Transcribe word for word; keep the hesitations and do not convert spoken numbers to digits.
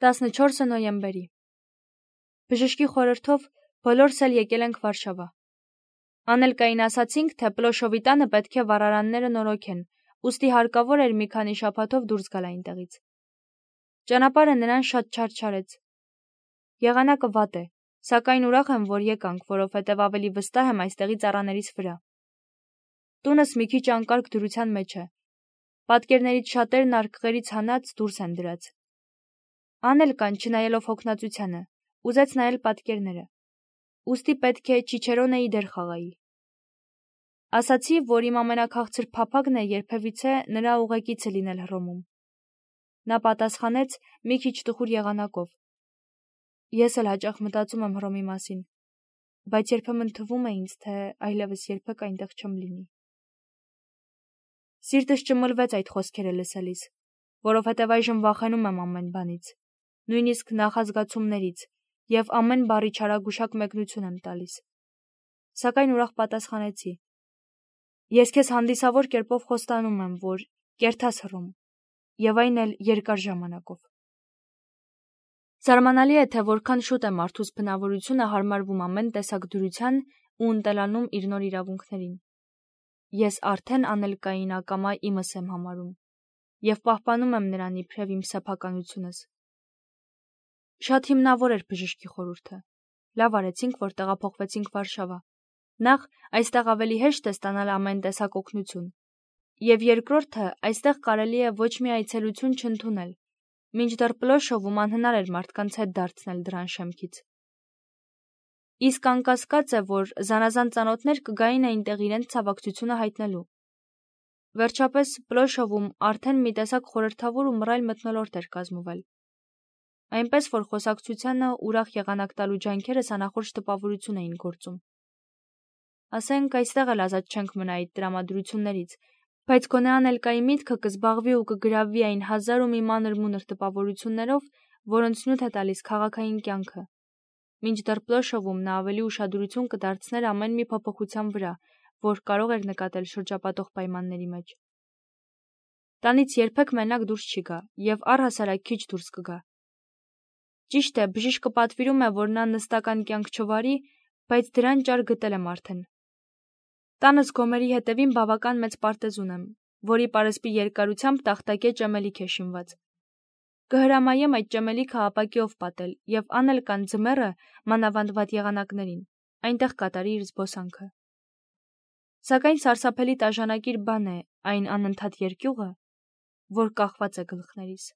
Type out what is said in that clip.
տասնչորսը նոյեմբերի։ Բժշկի խորհրդով բոլորս էլ եկել ենք Վարշավա։ Անելկային ասացինք, թե Պլոշովի տանը պետք է վառարանները նորոգեն, ուստի հարկավոր էր մի քանի շաբաթով դուրս գալ այնտեղից։ Ճանապարհը նրան շատ չարչարեց։ Եղանակը վատ է, սակայն ուրախ եմ, որ եկանք, որովհետև ավելի վստահ եմ այստեղի ծառաներից վրա։ Տունս մի քիչ անկարգ դրության մեջ է։ Պատկերներից շատերն արկղերից հանած դուրս են դրած։ Անելկան, չնայելով հոգնածությանը, ուզեց նայել պատկերները, ուստի պետք է Չիչերոնեի դեր խաղայի։ Ասացի, որ իմ ամենաքաղցր փափագն է երբևիցե նրա ուղեկիցը լինել Հռոմում։ Նա պատասխանեց մի քիչ տխուր եղանակով. Ես էլ հաճախ մտածում եմ Հռոմի մասին, բայց երբեմն թվում է ինձ, թե այլևս երբեք այնտեղ չեմ լինի։ Սիրտս ճմլվեց այդ խոսքերը լսելիս, որովհետև այժմ վախենում եմ ամեն բանից, նույնիսկ նախազգացումներից, և ամեն բառի չարագուշակ մեկնություն եմ տալիս։ Սակայն ուրախ պատասխանեցի. Ես քեզ հանդիսավոր կերպով խոստանում եմ, որ կերտաս Հռոմ, և այն էլ երկար ժամանակով։ Զարմանալի է, թե որքան շուտ է մարդուս բնավորությունը հարմարվում ամեն տեսակ դրության ու ընտելանում իր նոր իրավունքներին։ Ես արդեն անելկային ակամա իմս եմ համարում և պահպանում եմ նրան իբրև իմ սեփականությունս։ Շատ հիմնավոր էր բժշկի խորհուրդը։ Լավ արեցինք, որ տեղափոխվեցինք Վարշավա։ Նախ, այստեղ ավելի հեշտ է ստանալ ամեն տեսակ օգնություն, և երկրորդը, այստեղ կարելի է ոչ մի այցելություն չընդունել, մինչդեռ Պլոշովում անհնար էր մարդկանց հետ դարձնել դրան շեմքից։ Իսկ անկասկած է, որ զանազան ծանոթներ կգային այնտեղ իրենց ցավակցությունը հայտնելու։ Վերջապես, Պլոշովում արդեն մի տեսակ խորհրդավոր ու մռայլ մթնոլորտ էր կազմվել, այնպես որ խոսակցությանը ուրախ եղանակ տալու ջանքերս անախորժ տպավորություն էին գործում։ Ասենք, այստեղ էլ ազատ չենք մնա այդ տրամադրություններից, բայց գոնե անելկայի միտքը կզբաղվի ու կգրավվի այն հազար ու մի մանր-մունր տպավորություններով, որոնց նյութ է տալիս քաղաքային կյանքը, մինչդեռ Պլոշովում նա ավելի ուշադրություն կդարձներ ամեն մի փոփոխության վրա, որ կարող էր նկատել շրջապատող պայմանների մեջ։ Տանից երբեք մենակ դուրս չի գա և առհասարակ քիչ դուրս կգա։ Ճիշտ է, բժիշկը պատվիրում է, որ նա նստական կյանք չվարի, բայց դրան ճար գտել եմ արդեն։ Տանս գոմերի հետևին բավական մեծ պարտեզ ունեմ, որի պարսպի երկարությամբ տախտակե ճեմելիք է շինված։ Կհրամայեմ այդ ճեմելիքը ապակիով պատել և անելկան ձմեռը, մանավանդ վատ եղանակներին, այնտեղ կատարի իր զբոսանքը։ Սակայն սարսափելի տաժանակիր բան է այն անընդհատ երկյուղը, որ կախված է գլխներիս։